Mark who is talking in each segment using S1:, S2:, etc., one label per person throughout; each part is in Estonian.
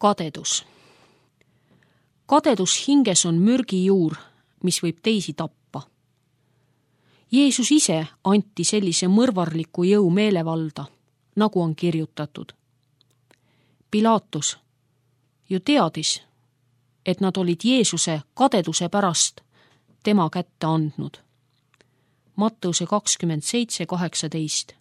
S1: Kadedus. Kadedus hinges on mürgijuur, mis võib teisi tappa. Jeesus ise anti sellise mõrvarliku jõu meelevalda, nagu on kirjutatud. Pilaatus ju teadis, et nad olid Jeesuse kadeduse pärast tema kätte andnud. Matteuse 27:18.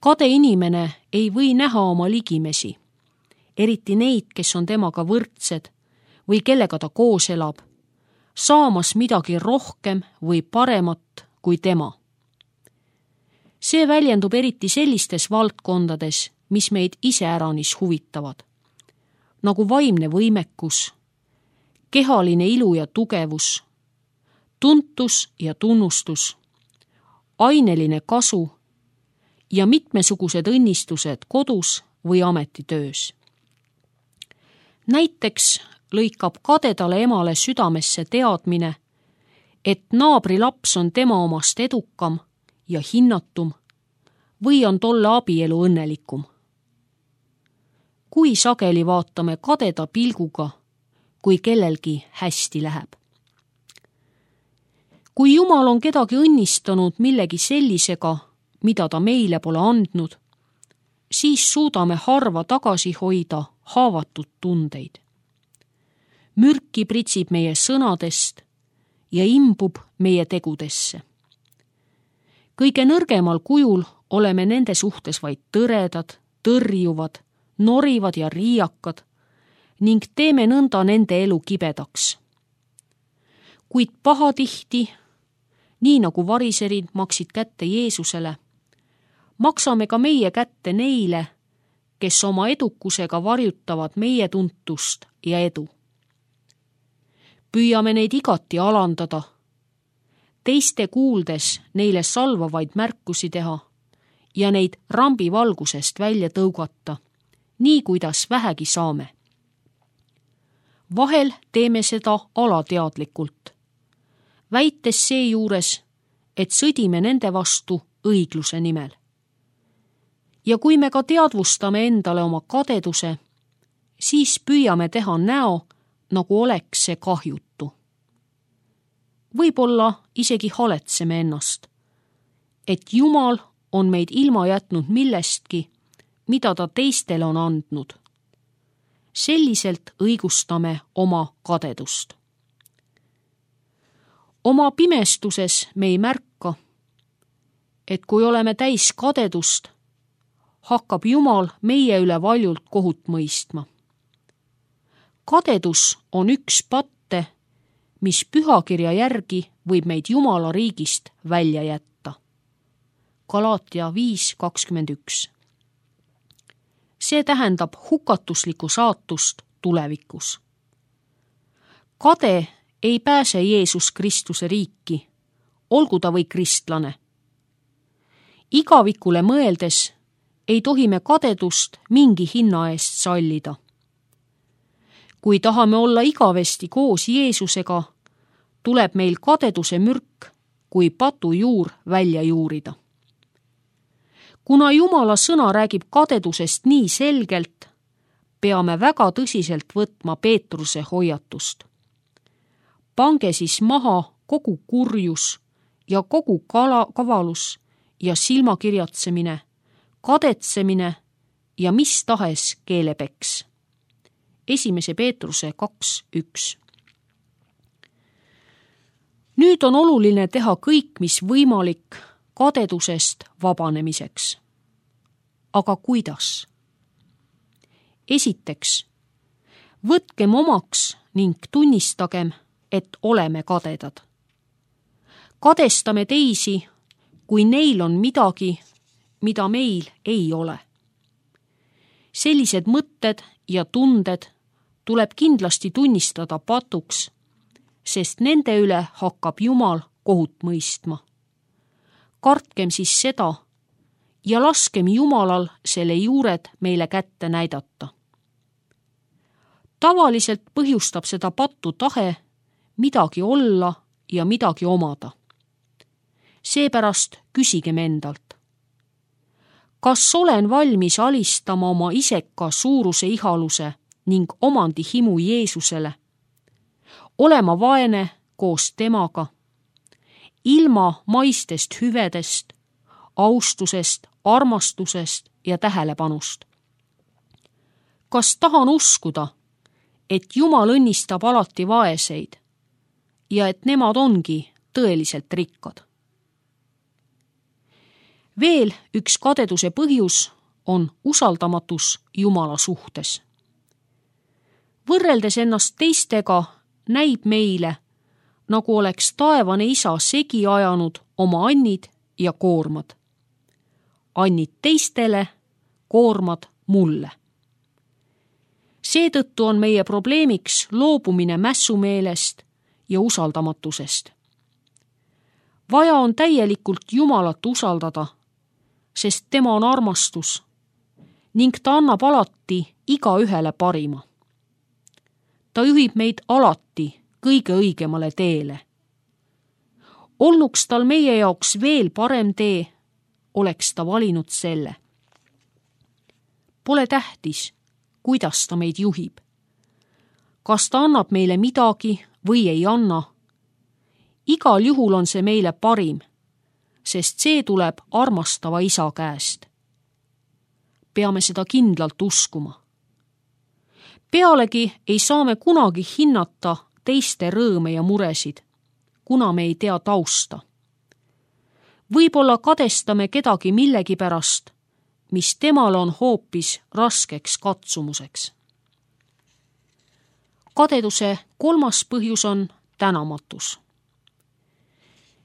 S1: Kade inimene ei või näha oma ligimesi, eriti neid, kes on temaga võrdsed või kellega ta koos elab, saamas midagi rohkem või paremat kui tema. See väljendub eriti sellistes valdkondades, mis meid iseäranis huvitavad, nagu vaimne võimekus, kehaline ilu ja tugevus, tuntus ja tunnustus, aineline kasu ja mitmesugused õnnistused kodus või ametitöös. Näiteks lõikab kadedale emale südamesse teadmine, et naabri laps on tema omast edukam ja hinnatum või on tolle abielu õnnelikum. Kui sageli vaatame kadeda pilguga, kui kellelgi hästi läheb. Kui Jumal on kedagi õnnistanud millegi sellisega, mida ta meile pole andnud, siis suudame harva tagasi hoida haavatud tundeid. Mürki pritsib meie sõnadest ja imbub meie tegudesse. Kõige nõrgemal kujul oleme nende suhtes vaid tõredad, tõrjuvad, norivad ja riiakad ning teeme nõnda nende elu kibedaks. Kuid pahatihti, nii nagu variserid maksid kätte Jeesusele, maksame ka meie kätte neile, kes oma edukusega varjutavad meie tuntust ja edu. Püüame neid igati alandada, teiste kuuldes neile salvavaid märkusi teha ja neid rambi valgusest välja tõugata, nii kuidas vähegi saame. Vahel teeme seda alateadlikult, väites seejuures, et sõdime nende vastu õigluse nimel. Ja kui me ka teadvustame endale oma kadeduse, siis püüame teha näo, nagu oleks see kahjutu. Võib-olla isegi haletseme ennast, et Jumal on meid ilma jätnud millestki, mida ta teistele on andnud. Selliselt õigustame oma kadedust. Oma pimestuses me ei märka, et kui oleme täis kadedust, hakkab Jumal meie üle valjult kohut mõistma. Kadedus on üks patte, mis pühakirja järgi võib meid Jumala riigist välja jätta. Galaatia 5:21. See tähendab hukatuslikku saatust tulevikus. Kade ei pääse Jeesus Kristuse riiki, olgu ta või kristlane. Igavikule mõeldes ei tohi me kadedust mingi hinna eest sallida. Kui tahame olla igavesti koos Jeesusega, tuleb meil kadeduse mürk kui patujuur välja juurida. Kuna Jumala sõna räägib kadedusest nii selgelt, peame väga tõsiselt võtma Peetruse hoiatust. Pange siis maha kogu kurjus ja kogu kavalus ja silmakirjatsemine, kadetsemine ja mis tahes keelepeks. 1. Peetruse 2:1. Nüüd on oluline teha kõik, mis võimalik kadedusest vabanemiseks. Aga kuidas? Esiteks, võtkem omaks ning tunnistagem, et oleme kadedad. Kadestame teisi, kui neil on midagi, mida meil ei ole. Sellised mõtted ja tunded tuleb kindlasti tunnistada patuks, sest nende üle hakkab Jumal kohut mõistma. Kartkem siis seda ja laskem Jumalal selle juured meile kätte näidata. Tavaliselt põhjustab seda pattu tahe midagi olla ja midagi omada. Seepärast küsigem endalt. kas olen valmis alistama oma iseka suuruse ihaluse ning omandi himu Jeesusele, olema vaene koos temaga, ilma maistest hüvedest, austusest, armastusest ja tähelepanust. Kas tahan uskuda, et Jumal õnnistab alati vaeseid ja et nemad ongi tõeliselt rikkad? Veel üks kadeduse põhjus on usaldamatus Jumala suhtes. Võrreldes ennast teistega näib meile, nagu oleks taevane isa segi ajanud oma annid ja koormad. Annid teistele, koormad mulle. Seetõttu on meie probleemiks loobumine mässumeelest ja usaldamatusest. Vaja on täielikult Jumalat usaldada, sest tema on armastus ning ta annab alati igaühele parima. Ta juhib meid alati kõige õigemale teele. Olnuks tal meie jaoks veel parem tee, oleks ta valinud selle. Pole tähtis, kuidas ta meid juhib. Kas ta annab meile midagi või ei anna? Igal juhul on see meile parim, sest see tuleb armastava isa käest. Peame seda kindlalt uskuma. Pealegi ei saa me kunagi hinnata teiste rõõme ja muresid, kuna me ei tea tausta. Võib-olla kadestame kedagi millegi pärast, mis temal on hoopis raskeks katsumuseks. Kadeduse kolmas põhjus on tänamatus.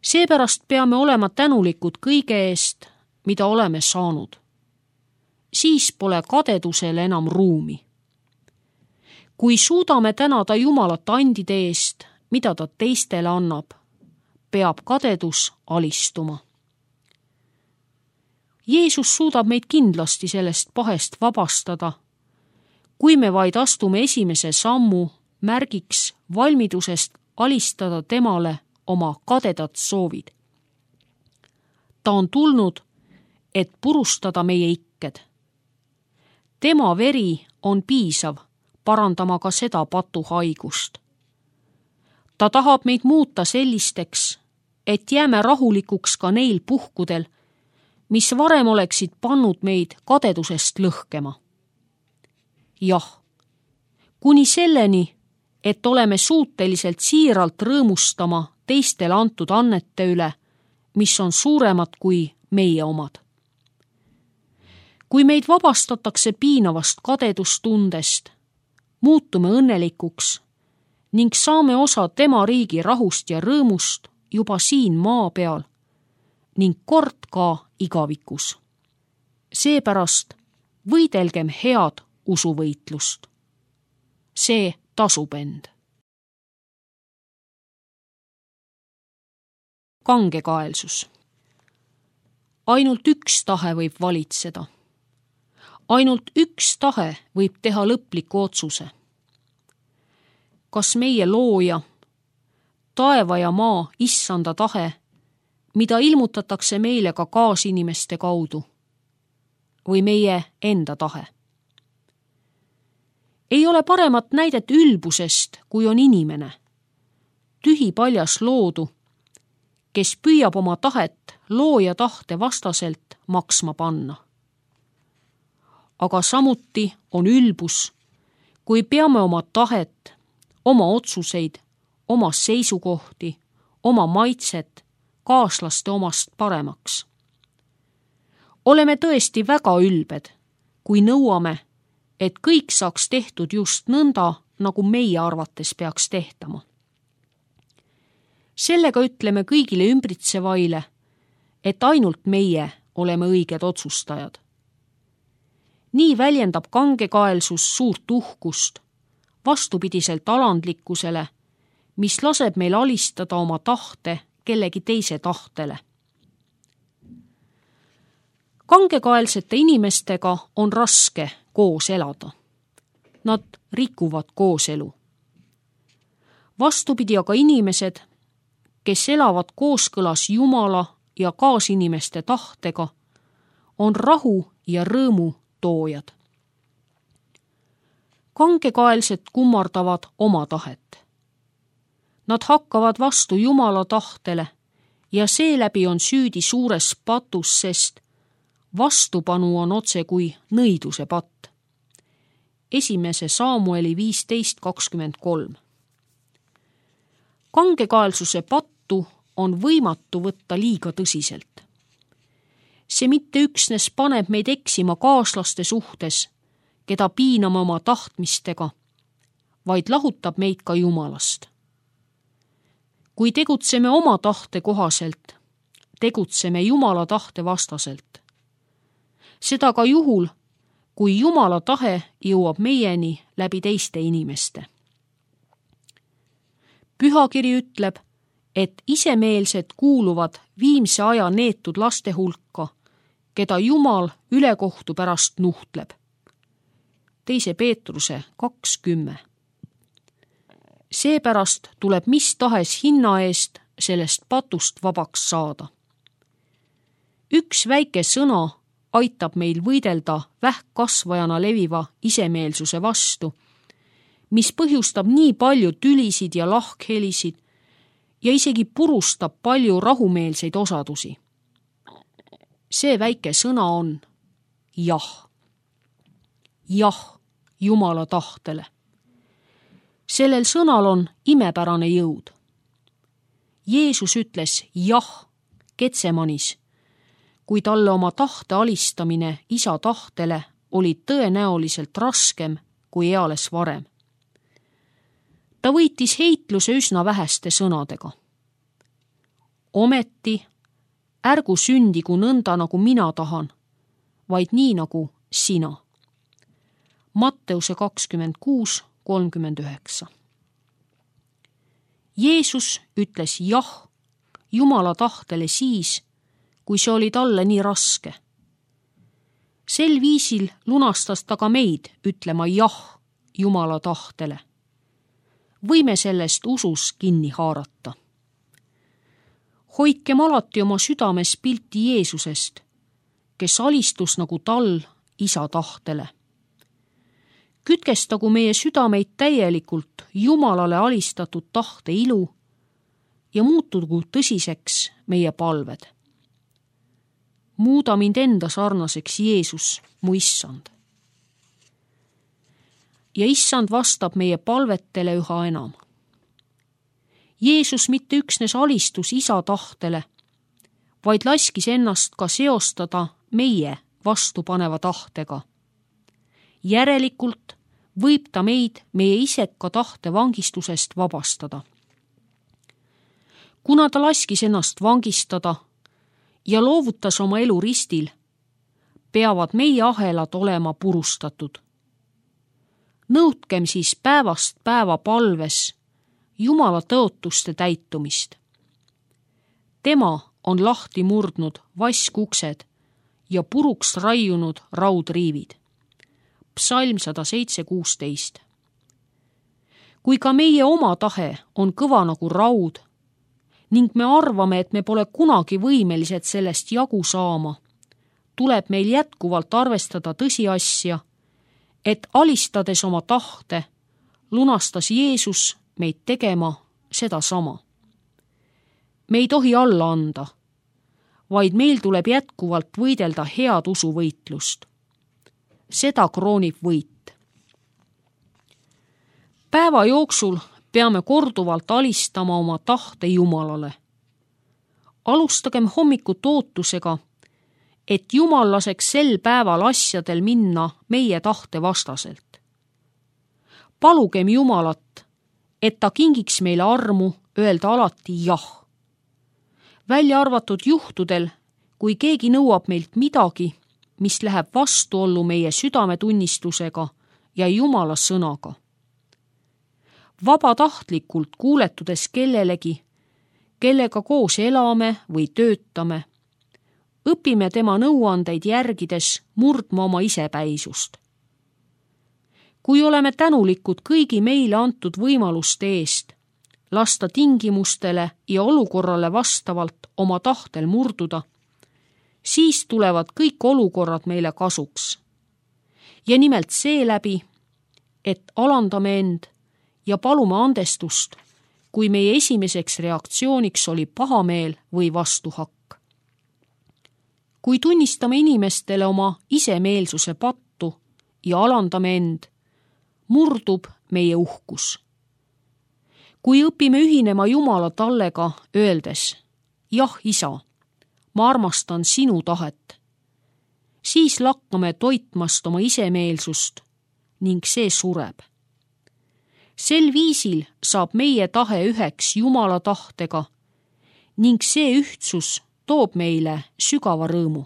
S1: Seepärast peame olema tänulikud kõige eest, mida oleme saanud. Siis pole kadedusel enam ruumi. Kui suudame tänada Jumalat andide eest, mida ta teistele annab, peab kadedus alistuma. Jeesus suudab meid kindlasti sellest pahest vabastada, kui me vaid astume esimese sammu märgiks valmidusest alistada temale oma kadedad soovid. Ta on tulnud, et purustada meie ikked. Tema veri on piisav parandama ka seda patuhaigust. Ta tahab meid muuta sellisteks, et jääme rahulikuks ka neil puhkudel, mis varem oleksid pannud meid kadedusest lõhkema. Jah, kuni selleni, et oleme suuteliselt siiralt rõõmustama teistele antud annete üle, mis on suuremad kui meie omad. Kui meid vabastatakse piinavast kadedustundest, muutume õnnelikuks ning saame osa tema riigi rahust ja rõõmust juba siin maa peal ning kord ka igavikus. Seepärast võidelgem head usuvõitlust. See tasub end. Kangekaelsus. Ainult üks tahe võib valitseda. Ainult üks tahe võib teha lõpliku otsuse. Kas meie looja, taeva ja maa issanda tahe, mida ilmutatakse meile ka kaasinimeste kaudu, või meie enda tahe? Ei ole paremat näidet ülbusest, kui on inimene, tühipaljas loodu, kes püüab oma tahet looja tahte vastaselt maksma panna. Aga samuti on ülbus, kui peame oma tahet, oma otsuseid, oma seisukohti, oma maitset kaaslaste omast paremaks. Oleme tõesti väga ülbed, kui nõuame, et kõik saaks tehtud just nõnda, nagu meie arvates peaks tehtama. Sellega ütleme kõigile ümbritsevaile, et ainult meie oleme õiged otsustajad. Nii väljendab kangekaelsus suurt uhkust, vastupidiselt alandlikkusele, mis laseb meil alistada oma tahte kellegi teise tahtele. Kangekaelsete inimestega on raske koos elada. Nad rikuvad kooselu. Vastupidi aga inimesed, kes elavad kooskõlas Jumala ja kaasinimeste tahtega, on rahu ja rõõmu toojad. Kangekaelsed kummardavad oma tahet. Nad hakkavad vastu Jumala tahtele ja seeläbi on süüdi suures patus, sest vastupanu on otse kui nõiduse patt. 1. Saamueli 15:23. Kangekaelsuse pattu on võimatu võtta liiga tõsiselt. See mitte üksnes paneb meid eksima kaaslaste suhtes, keda piiname oma tahtmistega, vaid lahutab meid ka Jumalast. Kui tegutseme oma tahte kohaselt, tegutseme Jumala tahte vastaselt. Seda ka juhul, kui Jumala tahe jõuab meieni läbi teiste inimeste. Pühakiri ütleb, et isemeelsed kuuluvad viimse aja neetud laste hulka, keda Jumal ülekohtu pärast nuhtleb. 2. Peetruse 2:10. Seepärast tuleb mis tahes hinna eest sellest patust vabaks saada. Üks väike sõna aitab meil võidelda vähkkasvajana leviva isemeelsuse vastu, mis põhjustab nii palju tülisid ja lahkhelisid ja isegi purustab palju rahumeelseid osadusi. See väike sõna on jah. Jah Jumala tahtele. Sellel sõnal on imepärane jõud. Jeesus ütles jah Getsemanis, kui talle oma tahte alistamine isa tahtele oli tõenäoliselt raskem kui eales varem. Ta võitis heitluse üsna väheste sõnadega. Ometi ärgu sündigu nõnda, nagu mina tahan, vaid nii, nagu sina. Matteuse 26:39. Jeesus ütles jah Jumala tahtele siis, kui see oli talle nii raske. Sel viisil lunastas ta ka meid ütlema jah Jumala tahtele. Võime sellest usus kinni haarata. Hoidkem alati oma südames pilti Jeesusest, kes alistus nagu tal isa tahtele. Kütkestagu meie südameid täielikult Jumalale alistatud tahte ilu ja muutugu tõsiseks meie palved. Muuda mind enda sarnaseks, Jeesus, mu issand. Ja issand vastab meie palvetele üha enam. Jeesus mitte üksnes alistus isa tahtele, vaid laskis ennast ka seostada meie vastupaneva tahtega. Järelikult võib ta meid meie iseka tahte vangistusest vabastada. Kuna ta laskis ennast vangistada ja loovutas oma elu ristil, peavad meie ahelad olema purustatud. Nõudkem siis päevast päeva palves Jumala tõotuste täitumist. Tema on lahti murdnud vaskuksed ja puruks raiunud raudriivid. Psalm 107:16. Kui ka meie oma tahe on kõva nagu raud ning me arvame, et me pole kunagi võimelised sellest jagu saama, tuleb meil jätkuvalt arvestada tõsiasja, et alistades oma tahte, lunastas Jeesus meid tegema sedasama. Me ei tohi alla anda, vaid meil tuleb jätkuvalt võidelda head usuvõitlust. Seda kroonib võit. Päeva jooksul peame korduvalt alistama oma tahte Jumalale. Alustagem hommikut ootusega, et Jumal laseks sel päeval asjadel minna meie tahte vastaselt. Palugem Jumalat, et ta kingiks meile armu öelda alati jah. Välja arvatud juhtudel, kui keegi nõuab meilt midagi, mis läheb vastuollu meie südametunnistusega ja Jumala sõnaga. Vabatahtlikult kuuletudes kellelegi, kellega koos elame või töötame, õpime tema nõuandeid järgides murdma oma isepäisust. Kui oleme tänulikud kõigi meile antud võimaluste eest, lasta tingimustele ja olukorrale vastavalt oma tahtel murduda, siis tulevad kõik olukorrad meile kasuks. Ja nimelt seeläbi, et alandame end ja palume andestust, kui meie esimeseks reaktsiooniks oli pahameel või vastuhakk. Kui tunnistame inimestele oma isemeelsuse pattu ja alandame end, murdub meie uhkus. Kui õpime ühinema Jumala tallega, öeldes, jah, isa, ma armastan sinu tahet, siis lakkame toitmast oma isemeelsust ning see sureb. Sel viisil saab meie tahe üheks Jumala tahtega ning see ühtsus toob meile sügava rõõmu.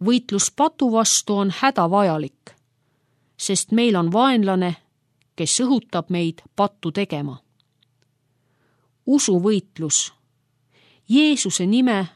S1: Võitlus patu vastu on hädavajalik, sest meil on vaenlane, kes õhutab meid pattu tegema. Usuvõitlus, Jeesuse nime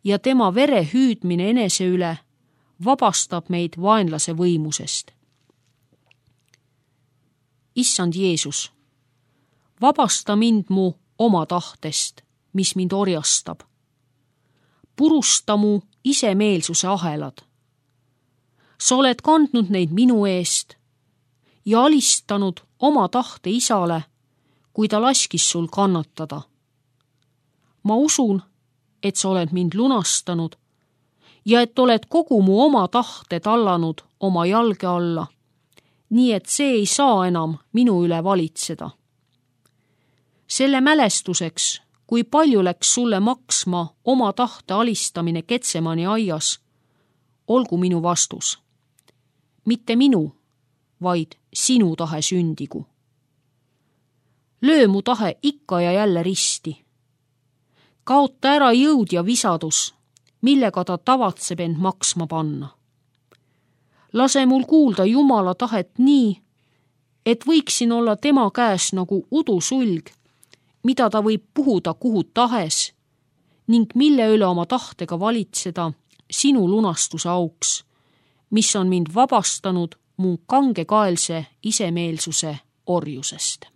S1: ja tema vere hüüdmine enese üle vabastab meid vaenlase võimusest. Issand Jeesus, vabasta mind mu oma tahtest, mis mind orjastab. Purusta mu isemeelsuse ahelad. Sa oled kandnud neid minu eest ja alistanud oma tahte isale, kui ta laskis sul kannatada. Ma usun, et sa oled mind lunastanud ja et oled kogu mu oma tahte tallanud oma jalge alla, nii et see ei saa enam minu üle valitseda. Selle mälestuseks, kui palju läks sulle maksma oma tahte alistamine Getsemani aias, olgu minu vastus. Mitte minu, vaid sinu tahe sündigu. Löö mu tahe ikka ja jälle risti. Kaota ära jõud ja visadus, millega ta tavatseb end maksma panna. Lase mul kuulda Jumala tahet nii, et võiksin olla tema käes nagu udusulg, mida ta võib puhuda kuhu tahes ning mille üle oma tahtega valitseda sinu lunastuse auks, mis on mind vabastanud mu kangekaelse isemeelsuse orjusest.